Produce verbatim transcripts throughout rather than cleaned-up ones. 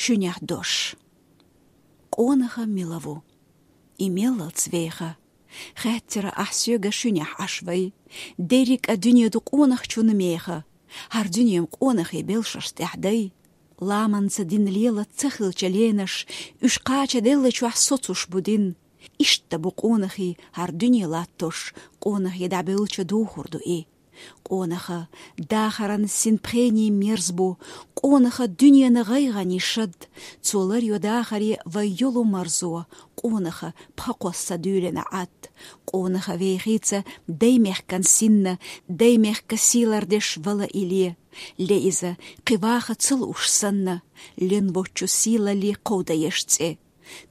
Шуьнехь дош. Къонаха мила ву? И меллалц веха? Хаьттира ахь соьга, шуьнехь Ӏаш вай. Дерриг а дуьне ду къонахчун меха. ХӀара дуьне-м къонахий белшаш тӀехь дай. Ламанца дин лела ца хилча ленаш, уьш кхачаделлачохь соцуш бу дин. Иштта бу къонахий хӀара дуьне латтош, къонахий дӀабевлча духур ду и. Къонаха дахаран син пхенийн мерз бу, къонаха дуьненан гӀайгӀанийн шад, цо ларйо дахаре вай йолу марзо, къонаха пха кхосса дуьйлина Ӏад. Къонаха вехийца даймехкан синна, даймехка сий лардеш вала и ле. Ле иза, кхин ваха ца лууш санна, лен воцчу сийлаллин кховдаеш цӀе.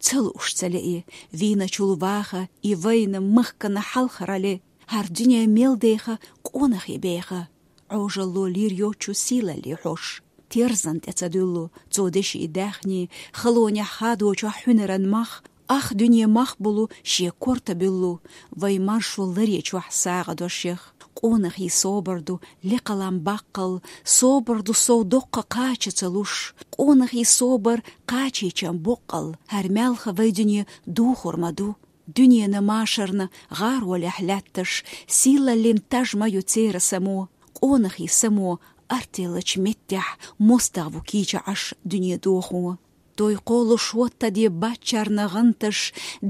Ца лууш ца ле и, вийначул ваха и вайна махкана хьалхара ле. ХӀара дуьне мел деха, къонахий беха, Ӏожалло лийр йоцчу сийлаллин хьош. Терзан тӀе ца дуьллу цо деши даьхни, халонехь хадочохь хьуьнаран мах, ах дуьне мах булу шен корта буьллу, вай маршо ларъечохь сагӀа дошех. Къонахий собар ду лекхалан баккхал, собар ду сов доккха кхача ца луш. Къонахий собар кхачийчан боккъал, хӀара маьлха вай дуьне духур ма ду. Дуьненан машарна гӀаролехь лаьтташ, сийлаллин таж ма ю церан само. Къонахий само артеллачу меттехь мостагӀа ву кийча Ӏаш дуьне дохо. Той кхолуш хӀоттаде баччарна гӀанташ,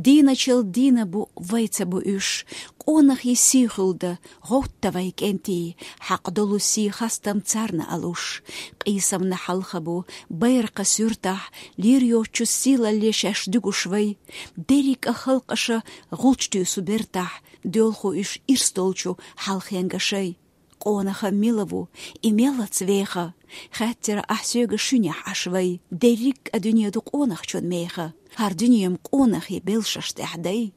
дийначул дийна бу вай ца бу уьш. Къонахий сий хуьлда, гӀовтта вай кӀентий, хьакъ долу сий хастам царна а луш. Къийсамна хьалха бу байракхан суьртахь, лийр йоцчу сийлалле шаьш дуьгуш вай. Дерриг а халкъаша гӀулч туьйсу бертахь, доьлху уьш ирс долчу хьалхенга шай. Къонаха мила ву, и меллалц веха? Хаьттира ахь соьга, шуьнехь Ӏаш вай. Дерриг а дуьне ду къонахчун меха. ХӀара дуьне-м къонахий белшаш тӀехь дай.